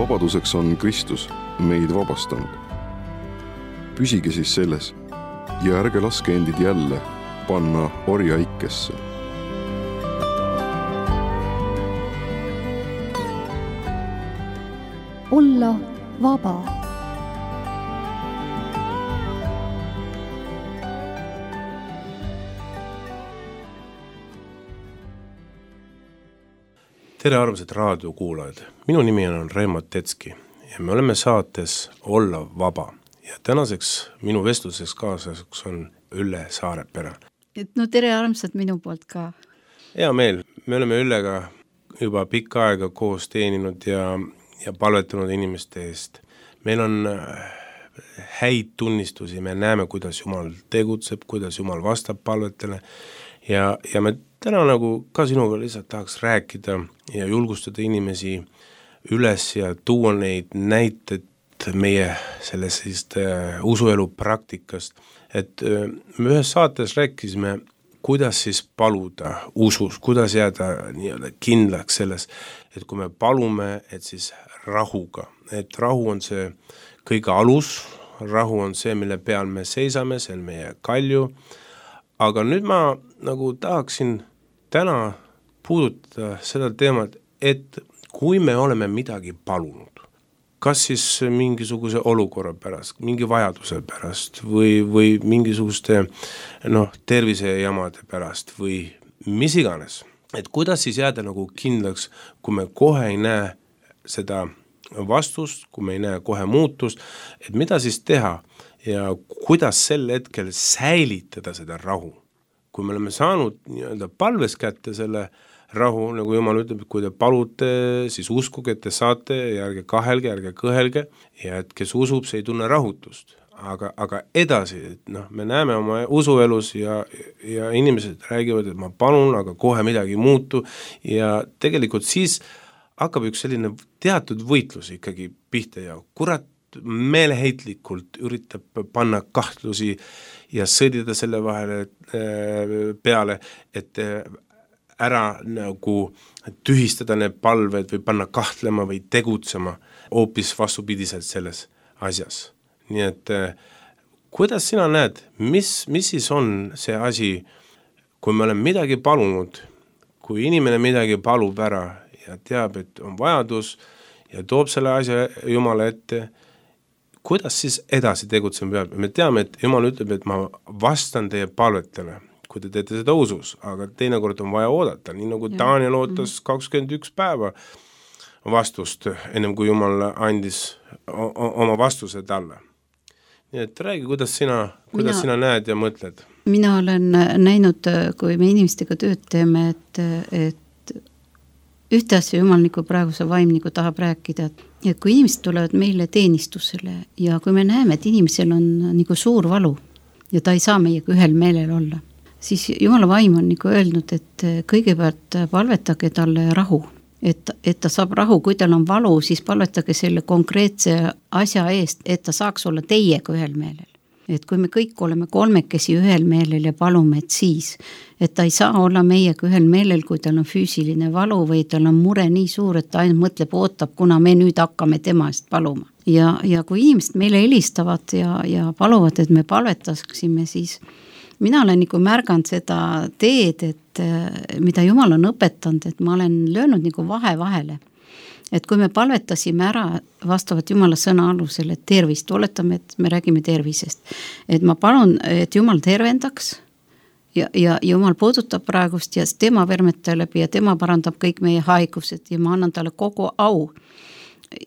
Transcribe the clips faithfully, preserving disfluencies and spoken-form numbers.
vabaduseks on Kristus meid vabastanud. Püsige siis selles ja ärge laske endid jälle panna orjaikesse. Olla vaba. Tere armsad raadiokuulajad, minu nimi on Reimo Tetski ja me oleme saates Olla vaba ja tänaseks minu vestluseks kaaslaseks on Ülle Saarepere. Et no tere armsad minu poolt ka. Hea meel, me oleme Üllega juba pikka aega koos teeninud ja, ja palvetanud inimeste eest. Meil on häid tunnistusi, me näeme, kuidas Jumal tegutseb, kuidas Jumal vastab palvetele ja, ja me täna nagu ka sinuga lihtsalt tahaks rääkida ja julgustada inimesi üles ja tuua neid näiteid meie sellest uh, usuelu praktikast. Et uh, me ühes saates rääkisime, kuidas siis paluda usus, kuidas jääda nii-öelda kindlaks selles, et kui me palume, et siis rahuga, et rahu on see kõige alus, rahu on see, mille peal me seisame, see on meie kalju, aga nüüd ma nagu tahaksin täna puudutada seda teemat, et kui me oleme midagi palunud, kas siis mingisuguse olukorra pärast, mingi vajaduse pärast või, või mingisuguste noh, tervisejamade pärast või mis iganes, et kuidas siis jääda nagu kindlaks, kui me kohe ei näe seda vastust, kui me ei näe kohe muutust, et mida siis teha ja kuidas sel hetkel säilitada seda rahu. Kui me oleme saanud nii-öelda palves kätte selle rahu, nagu Jumal ütleb, et kui te palute, siis uskuge, et te saate ja ärge kahelge, ärge kõhelge ja et kes usub, see ei tunne rahutust. Aga, aga edasi, et noh, me näeme oma usuelus ja, ja inimesed räägivad, et ma palun, aga kohe midagi ei muutu ja tegelikult siis hakkab üks selline teatud võitlus ikkagi pihta ja kurat meeleheitlikult üritab panna kahtlusi ja sõdida selle vahele peale, et ära nagu tühistada need palved või panna kahtlema või tegutsema hoopis vastupidiselt selles asjas. Nii et kuidas sina näed, mis, mis siis on see asi, kui me oleme midagi palunud, kui inimene midagi palub ära ja teab, et on vajadus ja toob selle asja Jumala ette, kuidas siis edasi tegutsema peab? Me teame, et Jumal ütleb, et ma vastan teie palvetele, kui te teete seda usus, aga teinekord on vaja oodata, nii nagu Daniel ootas kakskümmend üks päeva vastust, ennem kui Jumal andis oma vastuse talle. Nii et räägi, kuidas sina, kuidas mina, sina näed ja mõtled? Mina olen näinud, kui me inimestega tööd teeme, et, et ühte asja Jumal nagu praegu see vaim nagu tahab rääkida, et kui inimesed tulevad meile teenistusele ja kui me näeme, et inimesel on nagu suur valu ja ta ei saa meiega ühel meelel olla, siis Jumala vaim on nagu öelnud, et kõigepealt palvetage talle rahu, et, et ta saab rahu, kui tal on valu, siis palvetage selle konkreetse asja eest, et ta saaks olla teiega ühel meelel. Et kui me kõik oleme kolmekesi ühel meelel ja palume, et siis, et ta ei saa olla meiega ühel meelel, kui tal on füüsiline valu või tal on mure nii suur, et ta ainult mõtleb, ootab, kuna me nüüd hakkame tema eest paluma. Ja, ja kui inimesed meile helistavad ja, ja paluvad, et me palvetaksime, siis mina olen nagu märganud seda teed, et mida Jumal on õpetanud, et ma olen löönud nagu vahe vahele. Et kui me palvetasime ära vastavalt Jumala sõna alusel, et tervist, oletame, et me räägime tervisest, et ma palun, et Jumal tervendaks ja, ja Jumal puudutab praegust ja tema vermetab läbi ja tema parandab kõik meie haigused ja ma annan talle kogu au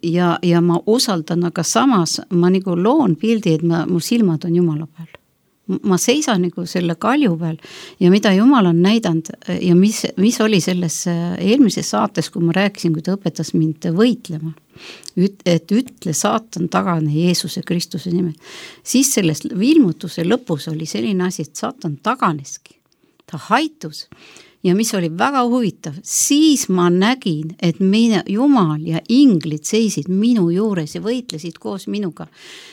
ja, ja ma usaldan, aga samas ma nagu loon pildi, et ma, mu silmad on Jumala peal. Ma seisan nagu selle kalju peal ja mida Jumal on näidanud ja mis, mis oli selles eelmises saates, kui ma rääkisin, kui ta õpetas mind võitlema, et ütle saatan tagane Jeesuse Kristuse nimel, siis selles ilmutuse lõpus oli selline asi, et saatan taganeski, ta haitus ja mis oli väga huvitav, siis ma nägin, et mine, Jumal ja inglid seisid minu juures ja võitlesid koos minuga.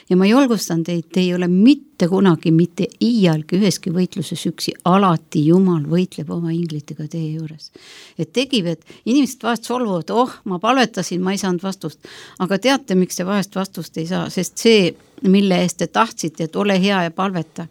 Ja ma julgustan teid, te ei ole mitte kunagi, mitte iialgi üheski võitluses üksi, alati Jumal võitleb oma inglitega teie juures. Et tegib, et inimesed vahest solvuvad, oh, ma palvetasin, ma ei saanud vastust. Aga teate, miks te vahest vastust ei saa, sest see, mille eest te tahtsite, et ole hea ja palveta,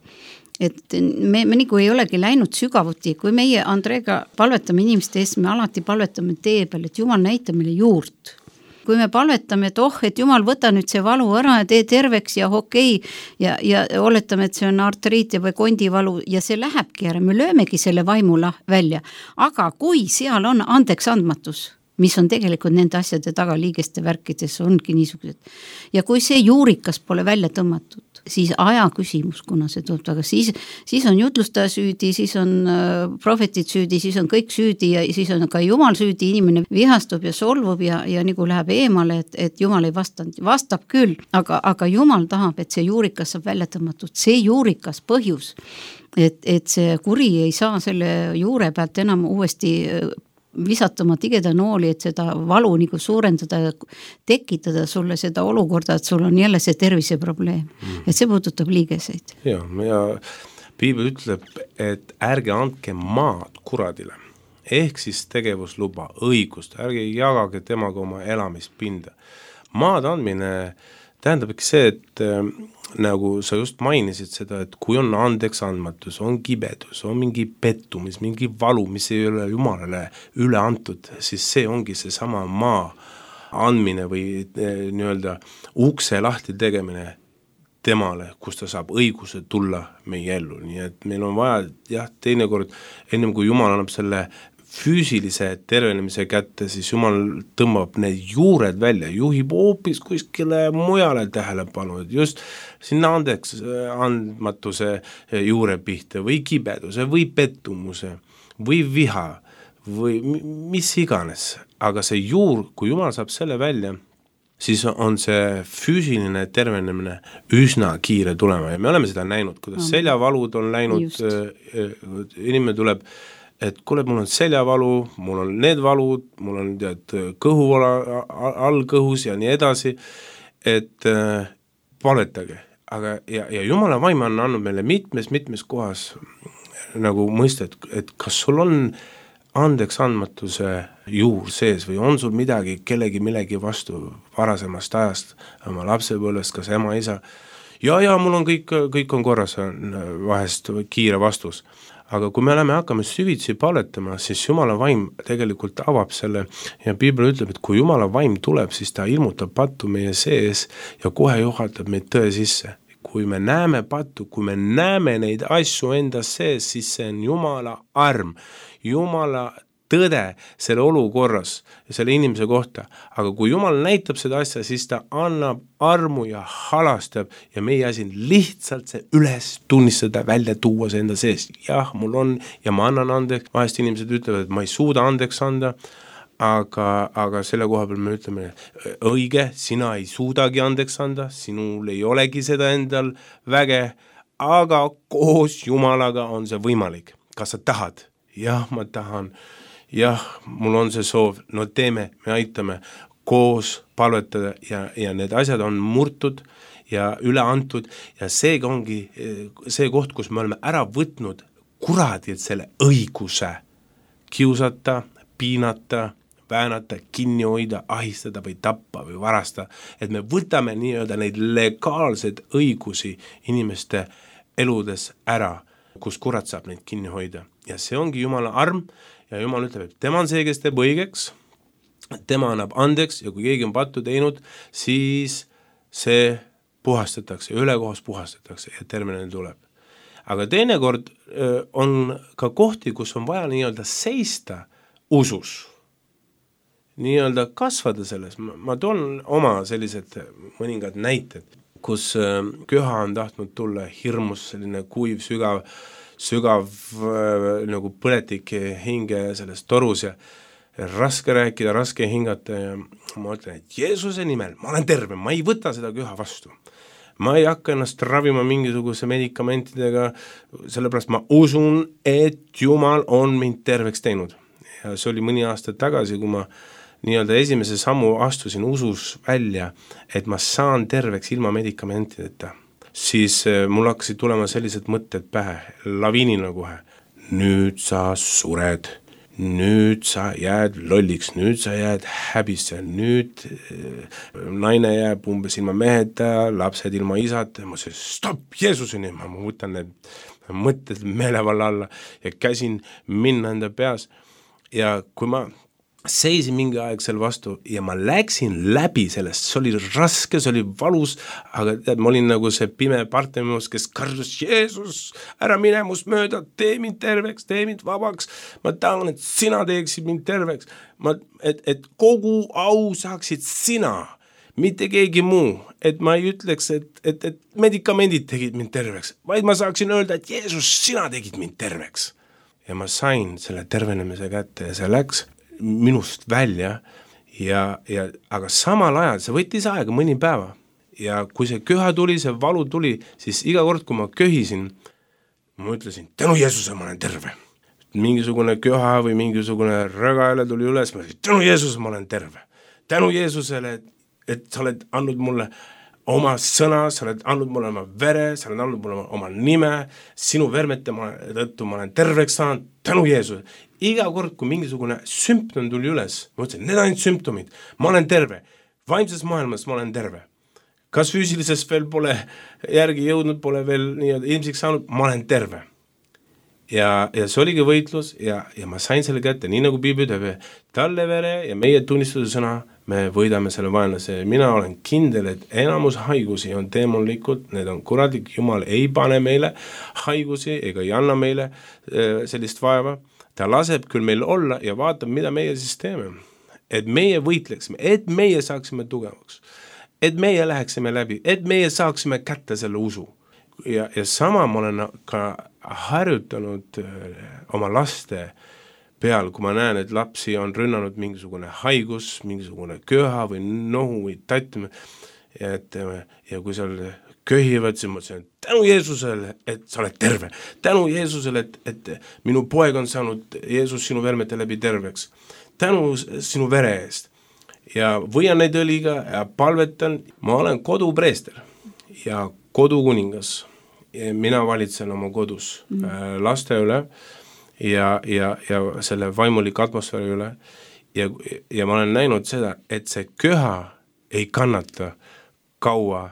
et me, me nagu ei olegi läinud sügavuti, kui meie Andreega palvetame inimeste eest, me alati palvetame tee peal, et Jumal näita meile juurt. Kui me palvetame, et oh, et Jumal võta nüüd see valu ära ja tee terveks ja okei ja, ja oletame, et see on artriit või kondivalu ja see lähebki ära, me löömegi selle vaimula välja. Aga kui seal on andeks andmatus, mis on tegelikult nende asjade taga liigeste värkides, ongi niisugused. Ja kui see juurikas pole välja tõmmatud, siis aja küsimus, kuna see tuleb, aga siis, siis on jutlustaja süüdi, siis on äh, prohvetid süüdi, siis on kõik süüdi ja siis on ka Jumal süüdi, inimene vihastub ja solvub ja, ja nagu läheb eemale, et, et Jumal ei vastanud, vastab küll, aga, aga Jumal tahab, et see juurikas saab välja tõmmatud, see juurikas põhjus, et, et see kuri ei saa selle juure pealt enam uuesti visatama tigeda nooli, et seda valu nagu suurendada, tekitada sulle seda olukorda, et sul on jälle see terviseprobleem. Mm. Et see puudutab liigeseid. Ja, ja Piibel ütleb, et ärge andke maad kuradile. Ehk siis tegevusluba, õigust, ärge jagage temaga oma elamispinda. Maad andmine tähendab ikka see, et nagu sa just mainisid seda, et kui on andeks andmatus, on kibedus, on mingi pettumis, mingi valu, mis ei ole Jumalale üle antud, siis see ongi see sama maa andmine või nii-öelda ukse lahti tegemine temale, kus ta saab õiguse tulla meie ellu. Nii et meil on vaja, jah, teinekord, ennem kui Jumal annab selle füüsilise tervenemise kätte, siis Jumal tõmbab need juured välja, juhib hoopis kuskile mujale tähelepanu, et just sinna andeks andmatuse juure pihta või kibeduse või pettumuse või viha või mis iganes. Aga see juur, kui Jumal saab selle välja, siis on see füüsiline tervenemine üsna kiire tulema ja me oleme seda näinud, kuidas seljavalud on läinud, inimene tuleb et kuule, mul on seljavalu, mul on need valud, mul on tead, kõhuvala all kõhus ja nii edasi, et äh, palvetage. Aga, ja, ja Jumala vaim on andnud meile mitmes, mitmes kohas nagu mõista, et, et kas sul on andeks andmatuse juur sees või on sul midagi, kellegi millegi vastu varasemast ajast, oma lapsepõlvest, kas ema, isa, ja, ja mul on kõik, kõik on korras, on vahest kiire vastus. Aga kui me oleme hakkame süvitsi palvetama, siis Jumala vaim tegelikult avab selle ja Piibel ütleb, et kui Jumala vaim tuleb, siis ta ilmutab pattu meie sees ja kohe juhatab meid tõe sisse. Kui me näeme pattu, kui me näeme neid asju enda sees, siis see on Jumala arm, Jumala tõde selle olukorras ja selle inimese kohta. Aga kui Jumal näitab seda asja, siis ta annab armu ja halastab ja meie asi lihtsalt see üles tunnistada, välja tuua see enda sees. Jah, mul on ja ma annan andeks. Vahest inimesed ütlevad, et ma ei suuda andeks anda, aga, aga selle koha peal me ütleme, õige, sina ei suudagi andeks anda, sinul ei olegi seda endal väge, aga koos Jumalaga on see võimalik. Kas sa tahad? Jah, ma tahan. Jah, mul on see soov, no teeme, me aitame koos palvetada ja, ja need asjad on murtud ja üle antud ja see ongi see koht, kus me oleme ära võtnud kuradilt selle õiguse kiusata, piinata, väänata, kinni hoida, ahistada või tappa või varasta, et me võtame nii-öelda neid legaalseid õigusi inimeste eludes ära, kus kurat saab neid kinni hoida ja see ongi Jumala arm. Ja Jumal ütleb, et tema on see, kes teeb õigeks, tema annab andeks ja kui keegi on pattu teinud, siis see puhastatakse, ülekohas puhastatakse ja tervenemine tuleb. Aga teinekord on ka kohti, kus on vaja nii-öelda seista usus, nii-öelda kasvada selles. Ma toon oma sellised mõningad näited, kus köha on tahtnud tulla hirmus, selline kuiv, sügav, sügav äh, nagu põletik hinge selles torus ja raske rääkida, raske hingata ja ma ütlen, et Jeesuse nimel, ma olen terve, ma ei võta seda köha vastu. ma ei hakka ennast ravima mingisuguse medikamentidega, sellepärast ma usun, et Jumal on mind terveks teinud. Ja see oli mõni aasta tagasi, kui ma nii-öelda esimese sammu astusin usus välja, et ma saan terveks ilma medikamentideta, siis mul hakkasid tulema sellised mõtted pähe, laviinina kohe. Nüüd sa sured, nüüd sa jääd lolliks, nüüd sa jääd häbisse, nüüd naine jääb umbes ilma meheta, lapsed ilma isata, ma ütlesin, stopp, Jeesuseni, ma võtan need mõtted meelevalla alla ja käsin minna enda peas ja kui ma seisin mingi aeg seal vastu ja ma läksin läbi sellest, see oli raske, see oli valus, aga tead, ma olin nagu see pime Bartimeus, kes karjus, Jeesus, ära mine must mööda, tee mind terveks, tee mind vabaks, ma tahan, et sina teeksid mind terveks, ma, et, et kogu au saaksid sina, mitte keegi muu, et ma ei ütleks, et, et, et medikamendid tegid mind terveks, vaid ma saaksin öelda, et Jeesus, sina tegid mind terveks. Ja ma sain selle tervenemise kätte ja see läks minust välja ja, ja aga samal ajal see võttis aega mõni päeva ja kui see köha tuli, see valu tuli, siis iga kord, kui ma köhisin, ma ütlesin, tänu Jeesuse ma olen terve. Mingisugune köha või mingisugune rögaele tuli üles, ma ütlesin, tänu Jeesuse ma olen terve. Tänu Jeesusele, et, et sa oled andnud mulle oma sõna, sa oled andnud mulle oma vere, sa oled andnud mulle oma nime, sinu vermete ma, tõttu ma olen terveks saanud, tänu Jeesuse. Iga kord, kui mingisugune sümptom tuli üles, ma ütlesin, need on sümptomid, ma olen terve, vaimses maailmas ma olen terve. Kas füüsilises veel pole järgi jõudnud, pole veel nii-öelda ilmsiks saanud, ma olen terve. Ja, ja see oligi võitlus ja, ja ma sain selle kätte, nii nagu Piibli ütleb, talle vere ja meie tunnistuse sõna, me võidame selle vaenlase. Mina olen kindel, et enamus haigusi on teemonlikud, need on kuradlik, Jumal ei pane meile haigusi ega ei anna meile äh, sellist vaeva. Ta laseb küll meil olla ja vaatab, mida meie siis teeme. Et meie võitleksime, et meie saaksime tugevaks, et meie läheksime läbi, et meie saaksime kätte selle usu. Ja, ja sama ma olen ka harjutanud oma laste peal, kui ma näen, et lapsi on rünnanud mingisugune haigus, mingisugune köha või nohu või tatt, et, ja kui seal köhivad, siis ma ütlesin, tänu Jeesusele, et sa oled terve. Tänu Jeesusele, et, et minu poeg on saanud Jeesus sinu vermete läbi terveks. Tänu sinu vere eest. Ja võian neid õliga ja palvetan. Ma olen kodupreester ja kodukuningas. Ja mina valitsen oma kodus mm. laste üle ja, ja, ja selle vaimulik atmosfääri üle. Ja, ja ma olen näinud seda, et see köha ei kannata kaua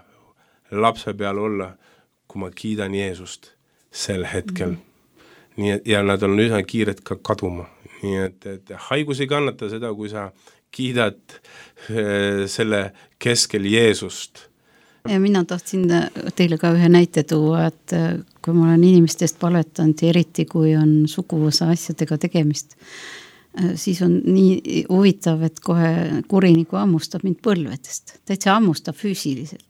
lapse peal olla, kui ma kiidan Jeesust sel hetkel. Mm. Nii et, ja nad on üsna kiired ka kaduma. Nii et, et haigus ei kannata seda, kui sa kiidad äh, selle keskel Jeesust. Ja mina tahtsin teile ka ühe näite tuua, et kui ma olen inimestest palvetanud, eriti kui on suguvõsa asjadega tegemist, siis on nii huvitav, et kohe kuriniku ammustab mind põlvedest. Täitsa ammustab füüsiliselt.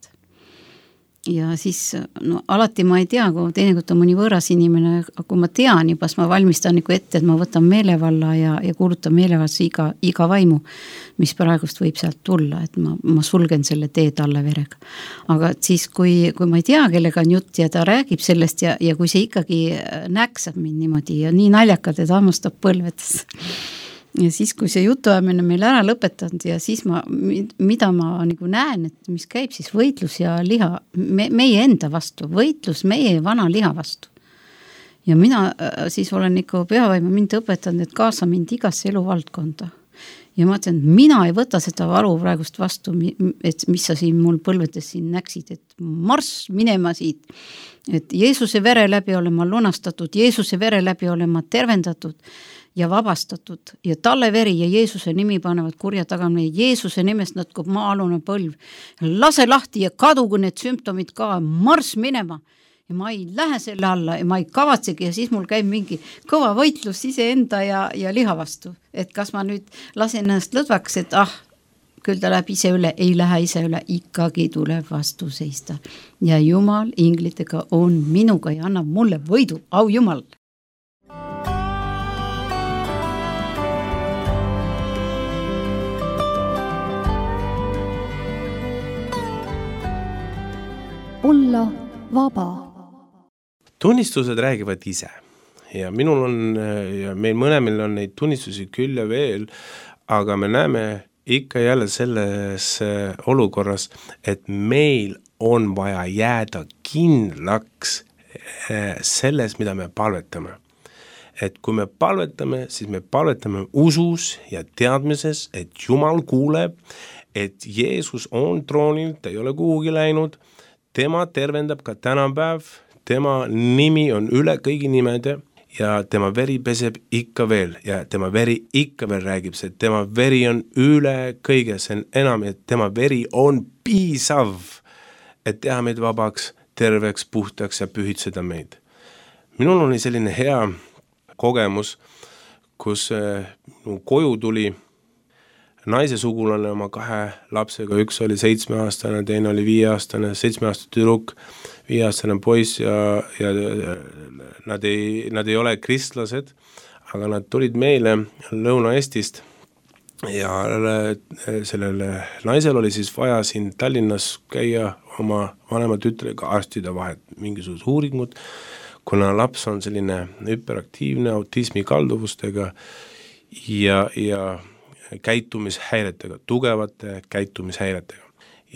Ja siis, no alati ma ei tea, kui teinekord on mõni võõras inimene, kui ma tean juba, siis ma valmistan nagu ette, et ma võtan meelevalla ja, ja kuulutan meelevaldse iga, iga vaimu, mis praegust võib sealt tulla, et ma, ma sulgen selle tee talle verega. Aga siis, kui, kui ma ei tea, kellega on jutt ja ta räägib sellest ja, ja kui see ikkagi näksab mind niimoodi ja nii naljakalt, et hammustab põlvedes. Ja siis, kui see jutuajamine meil ära lõpetanud ja siis ma, mida ma nagu näen, et mis käib siis võitlus ja liha, me, meie enda vastu, võitlus meie vana liha vastu. Ja mina siis olen ikka peavaima mind õpetanud, et kaasa mind igasse eluvaldkonda. Ja ma ütlen, mina ei võta seda valu praegust vastu, et mis sa siin mul põlvedes siin näksid, et marss minema siit, et Jeesuse vere läbi olen ma lunastatud, Jeesuse vere läbi olen ma tervendatud ja vabastatud ja talle veri ja Jeesuse nimi panevad kurja tagamine, Jeesuse nimest natkub maa-alune põlv, lase lahti ja kadugu need sümptomid ka, marss minema ja ma ei lähe selle alla ja ma ei kavatsegi ja siis mul käib mingi kõva võitlus iseenda ja, ja liha vastu, et kas ma nüüd lasen ennast lõdvaks, et ah, küll ta läheb ise üle, ei lähe ise üle, ikkagi tuleb vastu seista ja Jumal inglitega on minuga ja annab mulle võidu, au Jumal. olla vaba. Tunnistused räägivad ise ja minul on ja meil mõlemil on neid tunnistusi küll ja veel, aga me näeme ikka jälle selles olukorras, et meil on vaja jääda kindlaks selles, mida me palvetame. Et kui me palvetame, siis me palvetame usus ja teadmises, et Jumal kuuleb, et Jeesus on troonil, ta ei ole kuhugi läinud, tema tervendab ka tänapäev, tema nimi on üle kõigi nimede ja tema veri peseb ikka veel ja tema veri ikka veel räägib see, et tema veri on üle kõige, see on enam, et tema veri on piisav, et teha meid vabaks, terveks, puhtaks ja pühitseda meid. Minul oli selline hea kogemus, kus koju tuli naise sugulane oma kahe lapsega, üks oli seitsmeaastane, teine oli viieaastane, seitsmeaastane tüdruk, viieaastane poiss ja, ja nad ei, nad ei ole kristlased, aga nad tulid meile Lõuna-Eestist ja sellele naisel oli siis vaja siin Tallinnas käia oma vanema tütrega arstide vahet, mingisugused uuringud, kuna laps on selline hüperaktiivne autismi kalduvustega ja, ja käitumishäiretega, tugevate käitumishäiretega.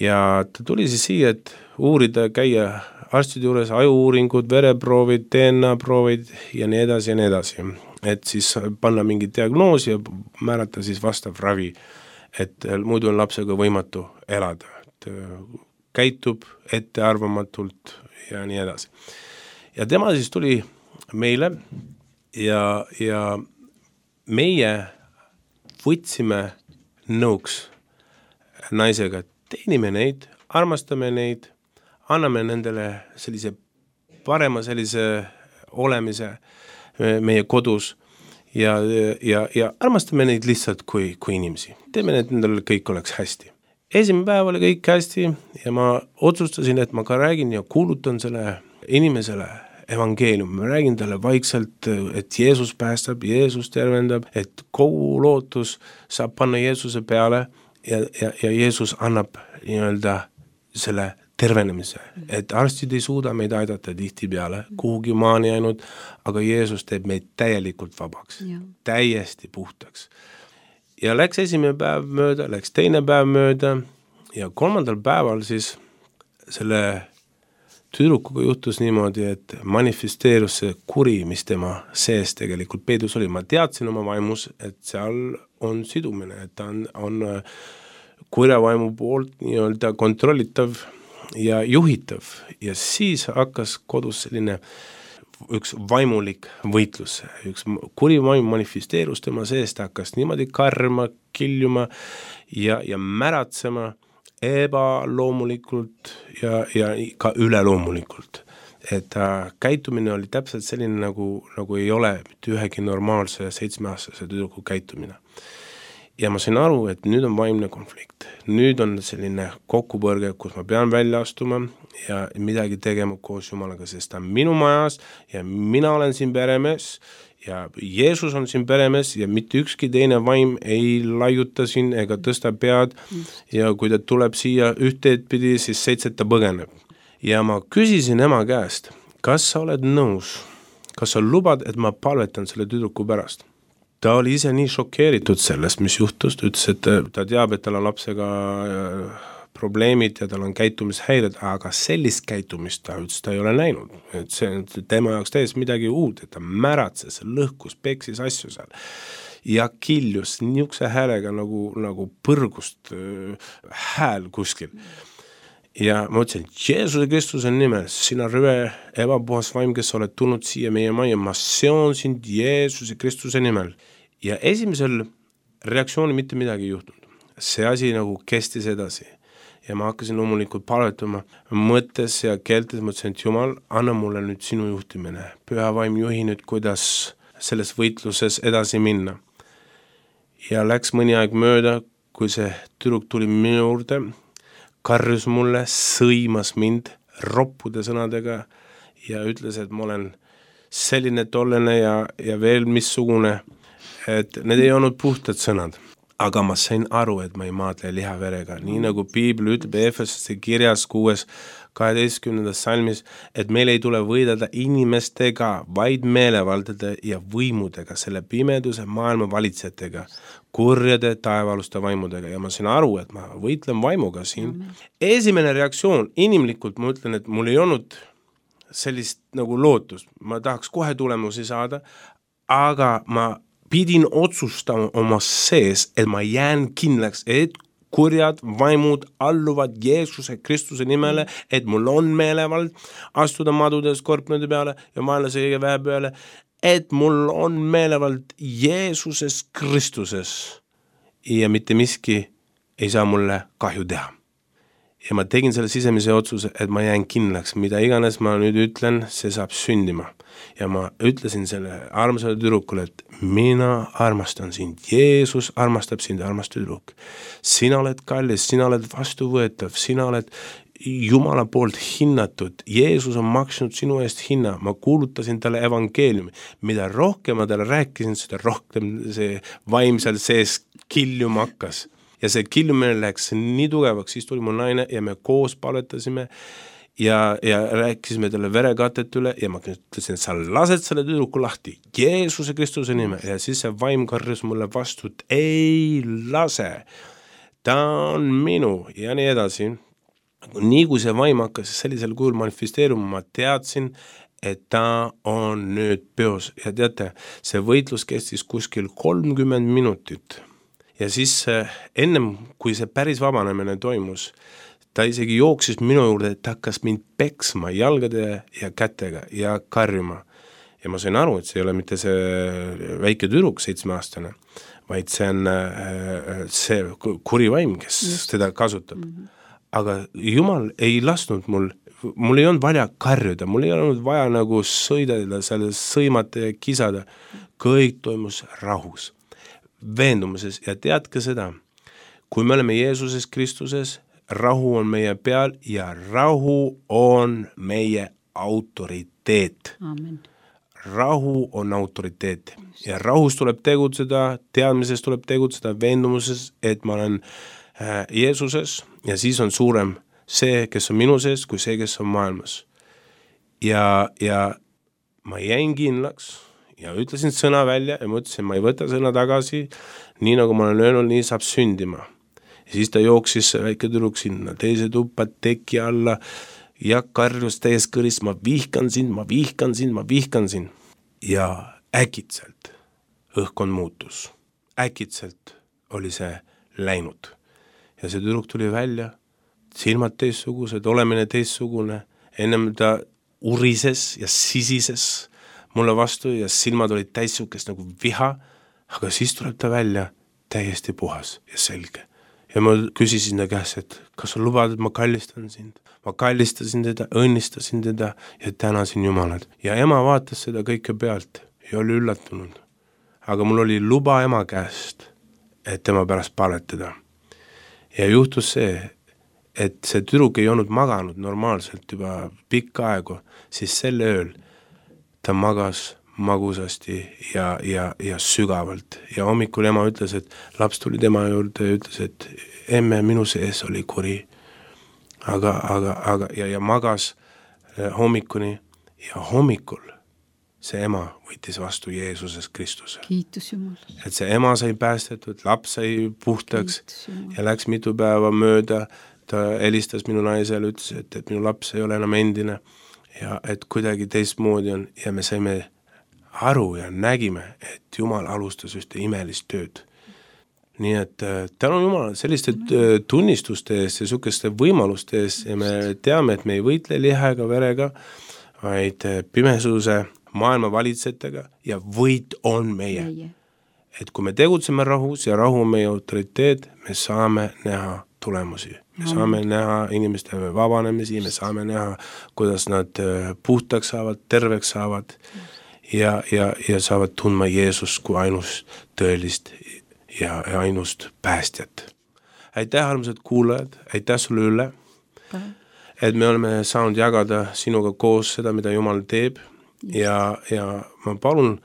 Ja ta tuli siis siia, et uurida, käia arstide juures, ajuuuringud, vereproovid, D N A-proovid ja nii edasi ja nii edasi. Et siis panna mingi diagnoosi ja määrata siis vastav ravi, et muidu on lapsega võimatu elada. Et käitub ettearvamatult ja nii edasi. Ja tema siis tuli meile ja, ja meie võtsime nõuks naisega, teenime neid, armastame neid, anname nendele sellise parema sellise olemise meie kodus ja, ja, ja armastame neid lihtsalt kui, kui inimesi. Teeme need nendele kõik oleks hästi. Esimene päev oli kõik hästi ja ma otsustasin, et ma ka räägin ja kuulutan selle inimesele evangeelium. Ma räägin talle vaikselt, et Jeesus päästab, Jeesus tervendab, et kogu lootus saab panna Jeesuse peale ja, ja, ja Jeesus annab nii-öelda selle tervenemise. Et arstid ei suuda meid aidata tihti peale, kuhugi maani ainult, aga Jeesus teeb meid täielikult vabaks, ja. Täiesti puhtaks. Ja läks esimene päev mööda, läks teine päev mööda ja kolmandal päeval siis selle tüdrukuga juhtus niimoodi, et manifesteerus see kuri, mis tema sees tegelikult peidus oli. Ma teadsin oma vaimus, et seal on sidumine, et ta on, on kurja vaimu poolt nii-öelda kontrollitav ja juhitav. Ja siis hakkas kodus selline üks vaimulik võitlus. Üks kuri vaim manifesteerus tema sees, ta hakkas niimoodi karma, kiljuma ja, ja märatsema ebaloomulikult ja, ja ka üleloomulikult. Et äh, käitumine oli täpselt selline, nagu, nagu ei ole mitte ühegi normaalse seitsmeaastase tüdruku käitumine. Ja ma sain aru, et nüüd on vaimne konflikt. Nüüd on selline kokkupõrge, kus ma pean välja astuma ja midagi tegema koos Jumalaga, sest ta on minu majas ja mina olen siin peremees ja Jeesus on siin peremees ja mitte ükski teine vaim ei laiuta siin ega tõsta pead ja kui ta tuleb siia ühteed pidi, siis seitset ta põgeneb. Ja ma küsisin ema käest, kas sa oled nõus, kas sa lubad, et ma palvetan selle tüdruku pärast? Ta oli ise nii šokeeritud sellest, mis juhtus, ta ütles, et ta teab, et tal on lapsega probleemid ja tal on käitumishäired, aga sellist käitumist ta ütles, ta ei ole näinud. Et see on tema jaoks täiesti midagi uut, et ta märatses, lõhkus, peksis asju seal ja kiljus niisuguse häälega nagu, nagu põrgust äh, hääl kuskil. Ja ma ütlesin, Jeesuse Kristuse nimel, sina rüve ebapuhas vaim, kes oled tulnud siia meie maja, ma seon sind Jeesuse Kristuse nimel. Ja esimesel reaktsiooni mitte midagi ei juhtunud. See asi nagu kestis edasi. Ja ma hakkasin loomulikult palvetama mõttes ja keeltes, mõtlesin, et Jumal, anna mulle nüüd sinu juhtimine. Püha vaim juhi nüüd, kuidas selles võitluses edasi minna. Ja läks mõni aeg mööda, kui see tüdruk tuli minu juurde, karjus mulle, sõimas mind roppude sõnadega ja ütles, et ma olen selline tollene ja, ja veel missugune, et need ei olnud puhtad sõnad. Aga ma sain aru, et ma ei maadle lihaverega. Nii nagu Piibel ütleb Efesesse kirjas kuues kaheteistkümnendas salmis, et meil ei tule võidelda inimestega, vaid meelevaldade ja võimudega, selle pimeduse maailma valitsejatega, kurjade taevaaluste vaimudega ja ma sain aru, et ma võitlen vaimuga siin. Amen. Esimene reaktsioon, inimlikult ma ütlen, et mul ei olnud sellist nagu lootust, ma tahaks kohe tulemusi saada, aga ma pidin otsustama oma sees, et ma jään kindlaks, et kurjad vaimud alluvad Jeesuse Kristuse nimele, et mul on meelevald astuda madude skorpionide peale ja vaenlase väe peale, et mul on meelevald Jeesuses Kristuses ja mitte miski ei saa mulle kahju teha. Ja ma tegin selle sisemise otsuse, et ma jään kindlaks, mida iganes ma nüüd ütlen, see saab sündima. Ja ma ütlesin selle armsale tüdrukule, et mina armastan sind, Jeesus armastab sind, armas tüdruk. Sina oled kallis, sina oled vastuvõetav, sina oled Jumala poolt hinnatud, Jeesus on maksnud sinu eest hinna, ma kuulutasin talle evangeeliumi, mida rohkem ma talle rääkisin, seda rohkem see vaimsel sees kiljuma hakkas. Ja see kilmine läks nii tugevaks, siis tuli mu naine ja me koos palvetasime ja, ja rääkisime talle verekatet üle ja ma ütlesin, et sa lased selle tüdruku lahti Jeesuse Kristuse nime ja siis see vaim karjus mulle vastu, et ei lase, ta on minu ja nii edasi. Nii kui see vaim hakkas sellisel kujul manifesteeruma, ma teadsin, et ta on nüüd peos ja teate, see võitlus kestis kuskil kolmkümmend minutit. Ja siis ennem, kui see päris vabanemine toimus, ta isegi jooksis minu juurde, et ta hakkas mind peksma jalgade ja kätega ja karjuma. Ja ma sain aru, et see ei ole mitte see väike tüdruk, seitsmeaastane, vaid see on see kurivaim, kes Just. teda kasutab. Mm-hmm. Aga Jumal ei lasnud mul, mul ei olnud vaja karjuda, mul ei olnud vaja nagu sõidada, selle sõimata ja kisada. Kõik toimus rahus. Veendumuses ja tead ka seda, kui me oleme Jeesuses Kristuses, rahu on meie peal ja rahu on meie autoriteet. Amen. Rahu on autoriteet ja rahus tuleb tegutseda, teadmises tuleb tegutseda, veendumuses, et ma olen äh, Jeesuses ja siis on suurem see, kes on minu sees, kui see, kes on maailmas. Ja, ja ma jäin kindlaks ja ütlesin sõna välja ja ma ütlesin, ma ei võta sõna tagasi, nii nagu ma olen öelnud, nii saab sündima. Ja siis ta jooksis väike tüdruk sinna, teise tuppa teki alla ja karjus täies kõris, ma vihkan sind, ma vihkan sind, ma vihkan sind. Ja äkitselt õhkkond muutus. Äkitselt oli see läinud. Ja see tüdruk tuli välja, silmad teissugused, olemine teissugune, ennem ta urises ja sisises mulle vastu ja silmad olid täissukest nagu viha, aga siis tuleb ta välja täiesti puhas ja selge. Ja ma küsisin ta käest, et kas sa lubad, et ma kallistan sind? Ma kallistasin teda, õnnistasin teda ja tänasin Jumalat. Ja ema vaatas seda kõike pealt ja oli üllatunud. Aga mul oli luba ema käest, et tema pärast palvetada. Ja juhtus see, et see tüdruk ei olnud maganud normaalselt juba pikka aegu, siis selle ööl ta magas magusasti ja, ja, ja sügavalt. Ja hommikul ema ütles, et laps tuli tema juurde ja ütles, et emme, minu sees oli kuri. Aga, aga, aga ja, ja magas hommikuni ja hommikul see ema võttis vastu Jeesuses Kristuse. Kiitus Jumal. Et see ema sai päästetud, laps sai puhtaks ja läks mitu päeva mööda. Ta helistas minu naisele, ütles, et, et minu laps ei ole enam endine. Ja et kuidagi teistmoodi on ja me saime aru ja nägime, et Jumal alustas ühte imelist tööd. Nii et tänu Jumal selliste tunnistuste eest ja sukeste võimaluste eest ja me teame, et me ei võitle liha ega verega, vaid pimesuse maailma valitsejatega ja võit on meie. Et kui me tegutseme rahus ja rahu on meie autoriteet, me saame näha tulemusi. Me saame näha inimeste vabanemisi, me saame näha, kuidas nad puhtaks saavad, terveks saavad ja, ja, ja saavad tundma Jeesust kui ainust tõelist ja, ja ainust päästjat. Aitäh, armsad kuulajad, aitäh sulle üle, et me oleme saanud jagada sinuga koos seda, mida Jumal teeb ja, ja ma palun,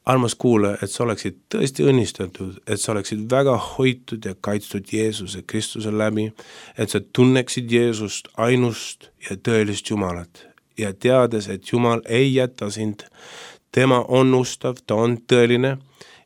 armas kuulaja, et sa oleksid tõesti õnnistatud, et sa oleksid väga hoitud ja kaitstud Jeesuse Kristuse läbi, et sa tunneksid Jeesust ainust ja tõelist Jumalat ja teades, et Jumal ei jäta sind, tema on ustav, ta on tõeline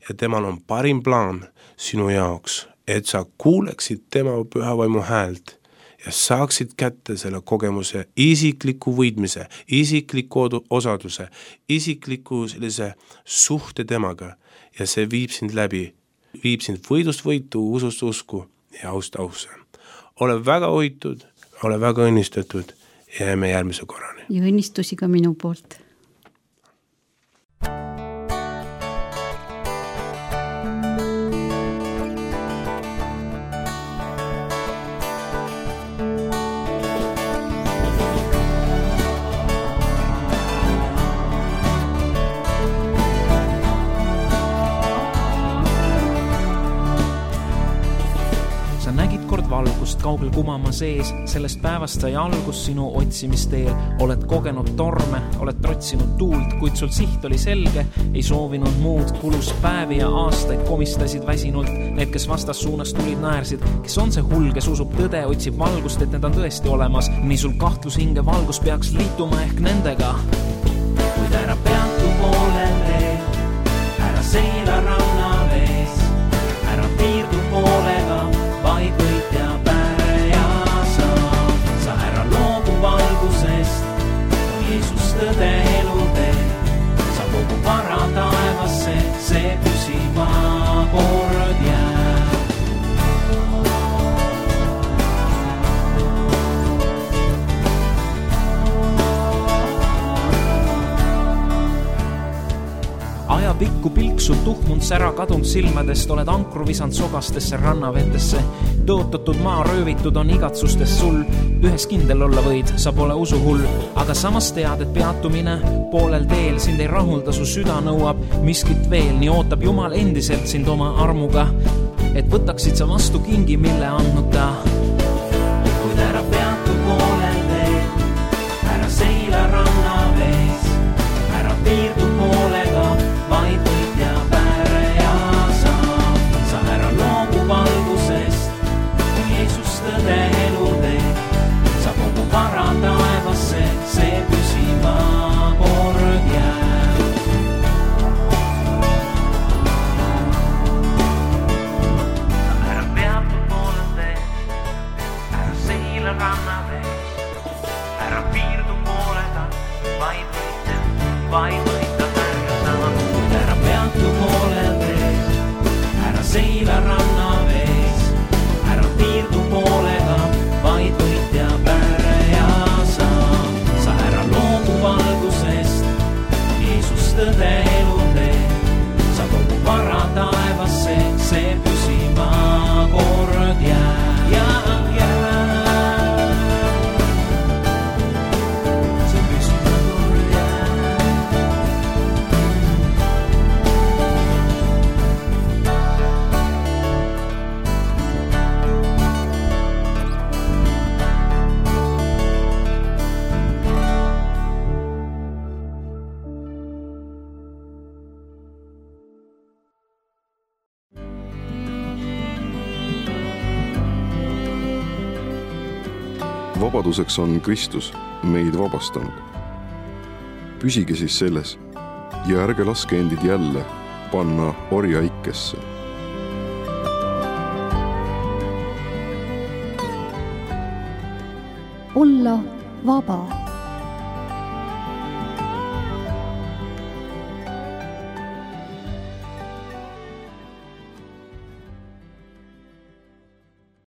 ja temal on parim plaan sinu jaoks, et sa kuuleksid tema pühavaimu häält ja saaksid kätte selle kogemuse isikliku võidmise, isikliku osaduse, isikliku sellise suhte temaga ja see viib sind läbi, viib sind võidust võitu, usust usku ja aust ausse. Ole väga hoitud, ole väga õnnistatud ja jääme järgmise korrani. Ja õnnistusi ka minu poolt. Valgust kaugel kumama sees, sellest päevast sai algus sinu otsimisteel. Oled kogenud torme, oled trotsinud tuult, kuid sul siht oli selge, ei soovinud muud. Kulus päevi ja aastaid komistasid väsinult. Need, kes vastas suunas tulid, naersid. Kes on see hull, kes usub tõde, otsib valgust, et need on tõesti olemas. Nii sul kahtlus hinge valgus peaks liituma ehk nendega. Kuid ära peatu poolel veel, ära seila ranna vees, ära piirdu poolega, vaid võit ja päre ja sa. Sa ära loobu valgusest, on Jeesus tõde elutee. Sa kogu vara taevasse, see püsima kord jääb. Ajapikku pilksub tuhmund sära kadunud silmadest, oled ankru visand sogastesse rannavetesse. Tõotatud maa röövitud on igatsustest sul, ühes kindel olla võid, sa pole usuhull. Aga samas tead, et peatumine poolel teel sind ei rahulda, su süda nõuab miskit veel. Nii ootab Jumal endiselt sind oma armuga, et võtaksid sa vastu kingi, mille andnud ta. Kuid ära peatu poolel teel, ära seila ranna vees, ära piirdu poolega, vaid võit ja päre ja sa. Sa ära loobu valgusest, on Jeesus tõde elutee. Sa kogu vara taevasse, see püsima kord jääb. Ära peatu poolel teel, ära seila ranna vees, ära piirdu poolega, vaid võit ja, vaid võit. Seila ranna vees, ära piirdu poolega, vaid võit ja päre ja sa. Sa ära loobu valgusest, Jeesus tõde elutee. Sa kogu vara taevasse, see püsima kord jääb. Ja, jääb. See püsima kord jääb. Vabaduseks on Kristus meid vabastanud. Püsige siis selles ja ärge laske endid jälle panna orja ikkesse. Olla vaba.